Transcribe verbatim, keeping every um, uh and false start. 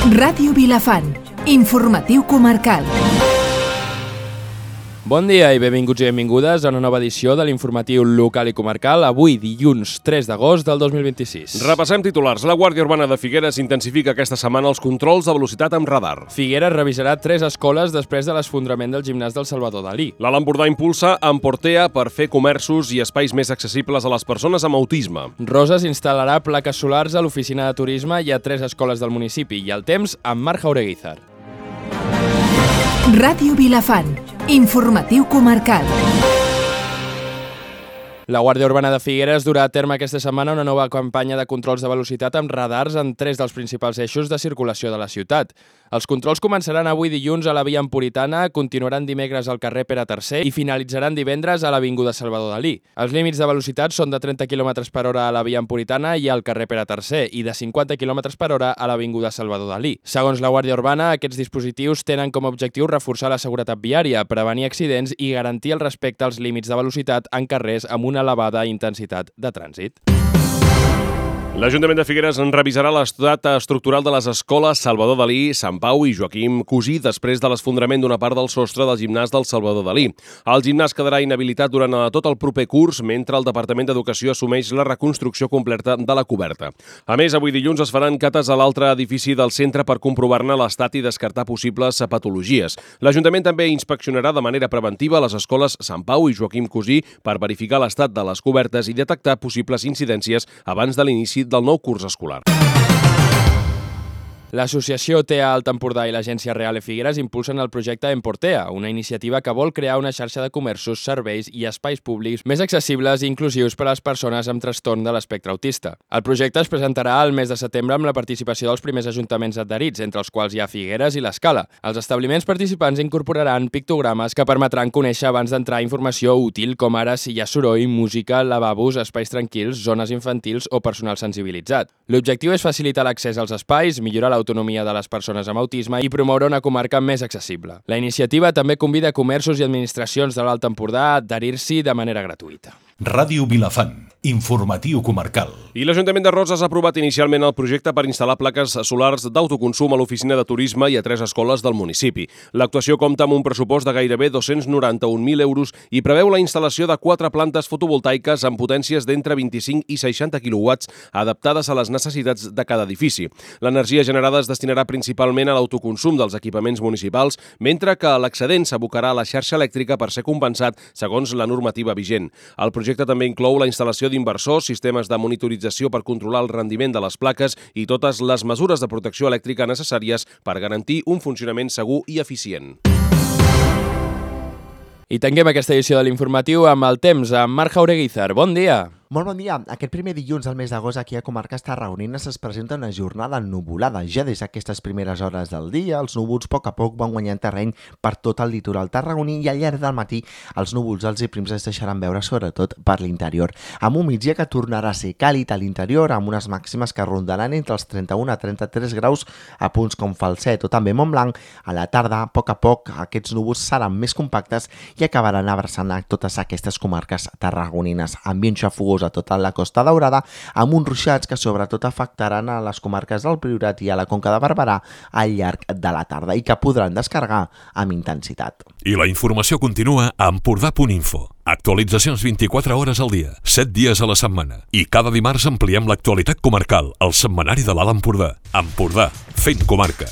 Ràdio Vilafant, informatiu comarcal. Bon dia i benvinguts i benvingudes a una nova edició de l'informatiu local i comarcal, avui dilluns tres d'agost del dos mil vint-i-sis. Repassem titulars. La Guàrdia Urbana de Figueres intensifica aquesta setmana els controls de velocitat amb radar. Figueres revisarà tres escoles després de l'esfondrament del gimnàs del Salvador Dalí. L'Alt Empordà impulsa Emportea per fer comerços i espais més accessibles a les persones amb autisme. Roses instal·larà plaques solars a l'oficina de turisme i a tres escoles del municipi. I el temps amb Marc Jaureguizar. Ràdio Vilafant, informatiu comarcal. La Guàrdia Urbana de Figueres durà a terme aquesta setmana una nova campanya de controls de velocitat amb radars en tres dels principals eixos de circulació de la ciutat. Els controls començaran avui dilluns a la via Emporitana, continuaran dimecres al carrer Pere tercer i finalitzaran divendres a l'avinguda Salvador Dalí. Els límits de velocitat són de trenta quilòmetres per hora a la via Emporitana i al carrer Pere tercer i de cinquanta quilòmetres per hora a l'avinguda Salvador Dalí. Segons la Guàrdia Urbana, aquests dispositius tenen com a objectiu reforçar la seguretat viària, prevenir accidents i garantir el respecte als límits de velocitat en carrers amb una elevada intensitat de trànsit. L'Ajuntament de Figueres en revisarà l'estat estructural de les escoles Salvador Dalí, Sant Pau i Joaquim Cusí després de l'esfondrament d'una part del sostre del gimnàs del Salvador Dalí. El gimnàs quedarà inhabilitat durant tot el proper curs mentre el Departament d'Educació assumeix la reconstrucció completa de la coberta. A més, avui dilluns es faran cates a l'altre edifici del centre per comprovar-ne l'estat i descartar possibles patologies. L'Ajuntament també inspeccionarà de manera preventiva les escoles Sant Pau i Joaquim Cusí per verificar l'estat de les cobertes i detectar possibles incidències abans de l'inici del nou curs escolar. L'Associació T A Alt Empordà i l'Agència Reale Figueres impulsen el projecte Emportea, una iniciativa que vol crear una xarxa de comerços, serveis i espais públics més accessibles i inclusius per a les persones amb trastorn de l'espectre autista. El projecte es presentarà al mes de setembre amb la participació dels primers ajuntaments adherits, entre els quals hi ha Figueres i l'Escala. Els establiments participants incorporaran pictogrames que permetran conèixer abans d'entrar informació útil, com ara si hi ha soroll, música, lavabos, espais tranquils, zones infantils o personal sensibilitzat. L'objectiu és facilitar l'accés als espais, millorar l'autonomia de les persones amb autisme i promoure una comarca més accessible. La iniciativa també convida comerços i administracions de l'Alt Empordà a adherir-s'hi de manera gratuïta. Ràdio Vilafant, informatiu comarcal. I l'Ajuntament de Roses ha aprovat inicialment el projecte per instal·lar plaques solars d'autoconsum a l'oficina de turisme i a tres escoles del municipi. L'actuació compta amb un pressupost de gairebé dos-cents noranta-un mil euros i preveu la instal·lació de quatre plantes fotovoltaiques amb potències d'entre vint-i-cinc i seixanta quilowatts adaptades a les necessitats de cada edifici. L'energia generada es destinarà principalment a l'autoconsum dels equipaments municipals, mentre que l'excedent s'abocarà a la xarxa elèctrica per ser compensat segons la normativa vigent. El projecte El projecte també inclou la instal·lació d'inversors, sistemes de monitorització per controlar el rendiment de les plaques i totes les mesures de protecció elèctrica necessàries per garantir un funcionament segur i eficient. I tanquem aquesta edició de l'informatiu amb el temps, amb Marc Jaureguizar. Bon dia! Molt bon dia. Aquest primer dilluns del mes d'agost aquí a comarques tarragonines es presenta una jornada nuvolada. Ja des d'aquestes primeres hores del dia, els núvols a poc a poc van guanyant terreny per tot el litoral tarragoní i al llarg del matí els núvols alts i prims es deixaran veure sobretot per l'interior. Amb un migdia que tornarà a ser càlid a l'interior amb unes màximes que rondaran entre els trenta-un a trenta-tres graus a punts com Falset o també Montblanc. A la tarda, a poc a poc, aquests núvols seran més compactes i acabaran abraçant a totes aquestes comarques tarragonines. Ambient xafogós a tota la Costa Daurada, amb uns ruixats que sobretot afectaran a les comarques del Priorat i a la Conca de Barberà al llarg de la tarda i que podran descarregar amb intensitat. I la informació continua a empordà punt info. Actualitzacions vint-i-quatre hores al dia, set dies a la setmana. I cada dimarts ampliem l'actualitat comarcal, al setmanari de l'Alt Empordà. Empordà, fent comarca.